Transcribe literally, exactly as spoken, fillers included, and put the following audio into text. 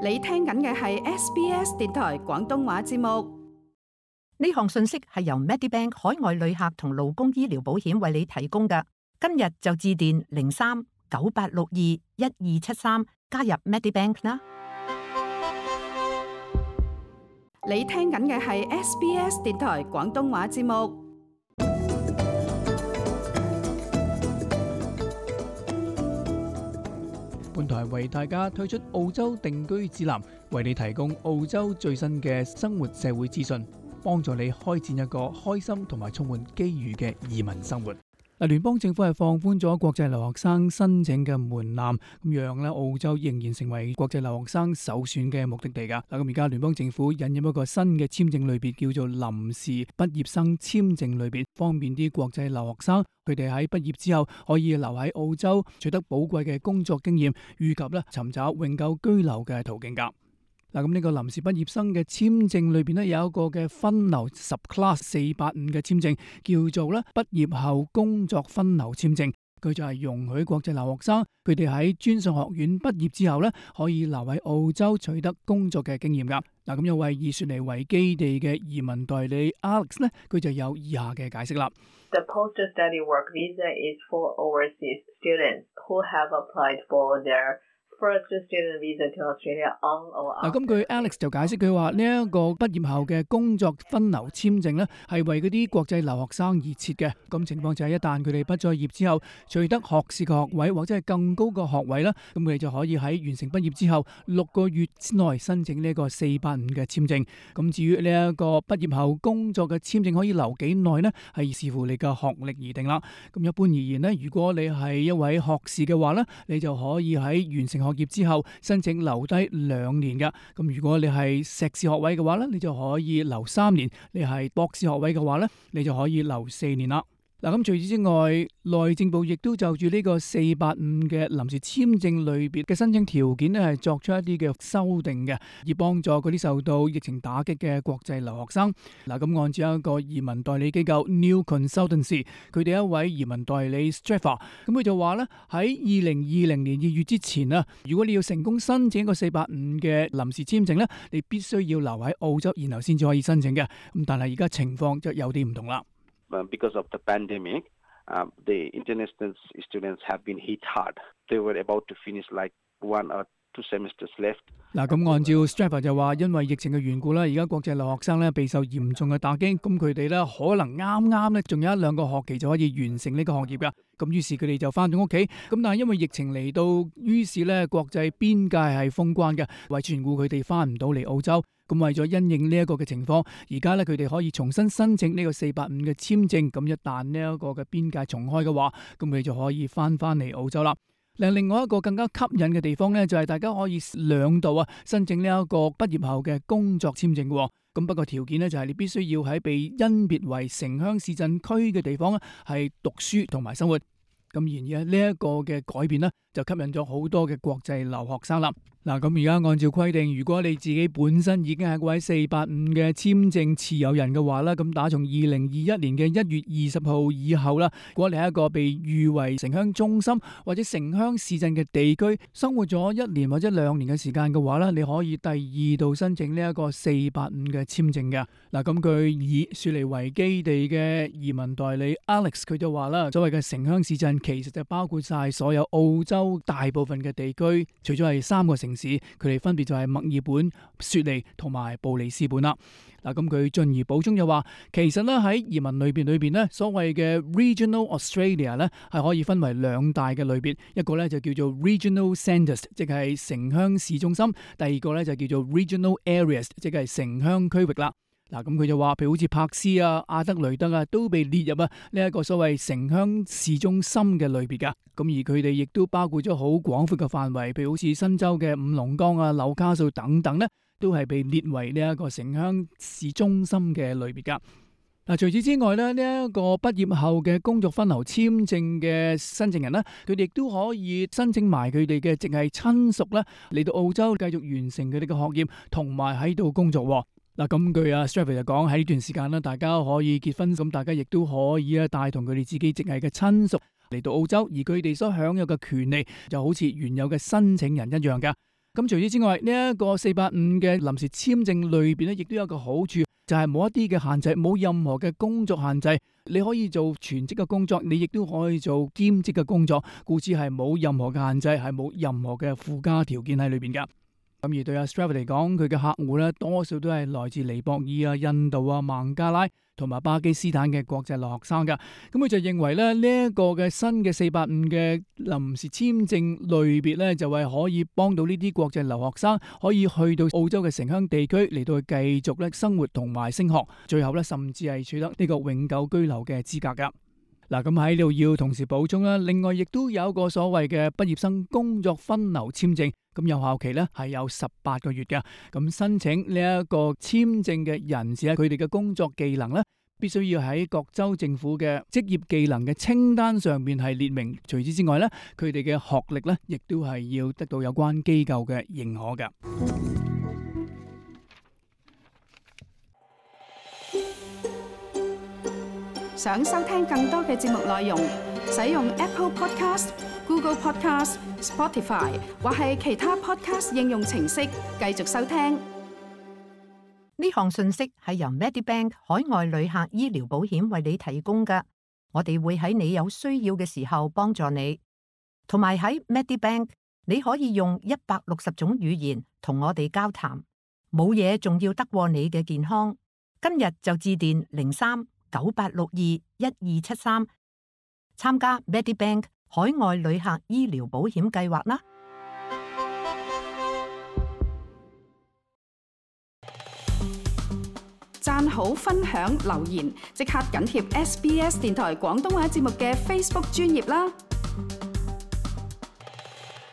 你聽緊嘅係 S B S 電台廣東話節目。呢項信息係由 Medibank 海外旅客同勞工醫療保險為你提供嘅。今日就致電零三九八六二一二七三加入 Medibank 啦。你聽緊嘅係 S B S 電台廣東話節目。本台為大家推出澳洲定居指南，為你提供澳洲最新嘅生活社會資訊，幫助你開展一個開心同埋充滿機遇嘅移民生活。嗱，聯邦政府係放寬咗國際留學生申請嘅門檻，咁讓咧澳洲仍然成為國際留學生首選嘅目的地噶。嗱，咁而家聯邦政府引入一個新嘅簽證類別，叫做臨時畢業生簽證類別，方便啲國際留學生佢哋喺畢業之後可以留喺澳洲，取得寶貴嘅工作經驗，以及咧尋找永久居留嘅途徑噶。嗱，咁呢個臨時畢業生嘅簽證裏邊咧有一個嘅分流 subclass 四八五嘅簽證，叫做咧畢業後工作分流簽證。佢就係容許國際留學生佢哋喺專上學院畢業之後咧，可以留喺澳洲取得工作嘅經驗噶。嗱，咁有位以雪梨為基地嘅移民代理 Alex 咧，佢就有以下嘅解釋啦。The post-study work visa is for overseas students who have applied for their first student visa to Australia on or after。嗱，咁據 Alex 就解釋佢話呢一個畢業後嘅工作分流簽證咧，係為嗰啲國際留學生而設嘅。咁情況就係一旦佢哋畢咗業之後，取得學士嘅學位或者係更高嘅學位啦，咁佢哋就可以喺完成畢業之後六個月之內申請呢一個四八五嘅簽證。咁至於呢一個畢業後工作嘅簽證可以留幾耐呢？係視乎你嘅學歷而定啦。咁一般而言呢，如果你係一位學士嘅話呢，你就可以喺完成學業之後申請留低兩年噶。咁如果你係碩士學位嘅話咧，你就可以留三年；你係博士學位嘅話咧，你就可以留四年啦。嗱，咁除此之外，內政部亦都就住呢個四八五嘅臨時簽證類別嘅申請條件咧，係作出一啲嘅修訂嘅，以幫助嗰啲受到疫情打擊嘅國際留學生。嗱，咁按照一個移民代理機構 New Consultancy， 佢哋一位移民代理 Straffer， 咁佢就話咧，喺二零二零年二月之前啊，如果你要成功申請一個四八五嘅臨時簽證咧，你必須要留喺澳洲，然後先至可以申請嘅。咁但係而家情況就有啲唔同啦。Because of the pandemic, uh, the international students have been hit hard. They were about to finish like one or two semesters left. 嗱，咁按照 Straffer 就話，因為疫情嘅緣故啦，而家國際留學生咧備受嚴重嘅打擊，咁佢哋咧可能啱啱咧仲有一兩個學期就可以完成呢個學業噶，咁於是佢哋就翻咗屋企，咁但係因為疫情嚟到，於是咧國際邊界係封關嘅，為全顧佢哋翻唔到嚟澳洲，咁為咗因應呢一個嘅情況，而家咧佢哋可以重新申請呢個四八五嘅簽證，咁一旦呢一個嘅邊界重開嘅話，咁佢哋就可以翻翻嚟澳洲啦。另外一個更加吸引嘅地方咧，就係大家可以兩度啊申請呢一個畢業後嘅工作簽證嘅。咁不過條件咧就係你必須要喺被甄別為城鄉市鎮區嘅地方咧係讀書同埋生活。咁然而呢一個嘅改變呢，就吸引咗好多嘅國際留學生啦。嗱，咁而家按照規定，如果你自己本身已經係位四八五嘅簽證持有人嘅話啦，咁打從二零二一年嘅一月二十號以後啦，如果你係一個被譽為城鄉中心或者城鄉市鎮嘅地區生活咗一年或者兩年嘅時間嘅話咧，你可以第二度申請呢一個四八五嘅簽證嘅。嗱，咁佢以雪梨為基地嘅移民代理 Alex 佢就話啦，所謂嘅城鄉市鎮其實就包括晒所有澳洲大部分嘅地區，除咗係三個城市，佢哋分別就係墨爾本、雪梨同埋布里斯本啦。嗱，咁佢進而補充就話，其實咧喺移民類別裏邊咧，所謂嘅 Regional Australia 咧係可以分為兩大嘅類別，一個咧就叫做 Regional Centres， 即係城鄉市中心；第二個咧就叫做 Regional Areas， 即係城鄉區域啦。嗱，咁佢就話，譬如好似柏斯啊、阿德雷德啊，都被列入啊呢一個所謂城鄉市中心嘅類別噶。咁而佢哋亦都包括咗好廣闊嘅範圍，譬如好似新州嘅五龍崗啊、紐卡素等等咧，都係被列為呢一個城鄉市中心嘅類別噶。嗱，除此之外咧，呢一個畢業後嘅工作分流簽證嘅申請人咧，佢哋亦都可以申請埋佢哋嘅直系親屬咧嚟到澳洲繼續完成佢哋嘅學業，同埋喺度工作。嗱，咁據阿 Straffer 就講，喺呢段時間咧，大家可以結婚，咁大家亦都可以啊帶同佢哋自己直系嘅親屬嚟到澳洲，而佢哋所享有嘅權利就好似原有嘅申請人一樣嘅。咁除此之外，呢、這、一個四八五嘅臨時簽證裏邊咧，亦都有一個好處，就係冇一啲嘅限制，冇任何嘅工作限制，你可以做全職嘅工作，你亦都可以做兼職嘅工作，故此係冇任何嘅限制，係冇任何嘅附加條件喺裏邊噶。咁而對阿 Stratford 嚟講，佢嘅客戶咧多數都係來自尼泊爾啊、印度啊、孟加拉同埋巴基斯坦嘅國際留學生噶。咁佢就認為咧，呢、這、一個嘅新嘅四八五嘅臨時簽證類別咧，就係可以幫到呢啲國際留學生可以去到澳洲嘅城鄉地區嚟到去繼續咧生活同埋升學，最後咧甚至係取得呢個永久居留嘅資格噶。嗱，咁喺呢度要同時補充啦，另外亦都有一個所謂嘅畢業生工作分流簽證。咁有效期咧係有十八個月嘅，咁申請呢一個簽證嘅人士咧，佢哋嘅工作技能咧，必須要喺各州政府嘅職業技能嘅清單上面係列明。除此之外咧，佢哋嘅學歷咧，亦都係要得到有關機構嘅認可嘅。想收聽更多嘅節目內容，使用 Apple Podcast、Google Podcast、Spotify 或係其他 Podcast 應用程式繼續收聽。呢項信息係由 Medibank 海外旅客醫療保險為你提供嘅，我哋會喺你有需要嘅時候幫助你。同埋喺 Medibank 你可以用一百六十種語言同我哋交談，冇嘢仲要得過你嘅健康。今日就致電零三九八六二一二七三，參加 Medibank 海外旅客醫療保險計劃啦！讚好、分享、留言，即刻緊貼 S B S 電台廣東話節目嘅 Facebook 專頁啦！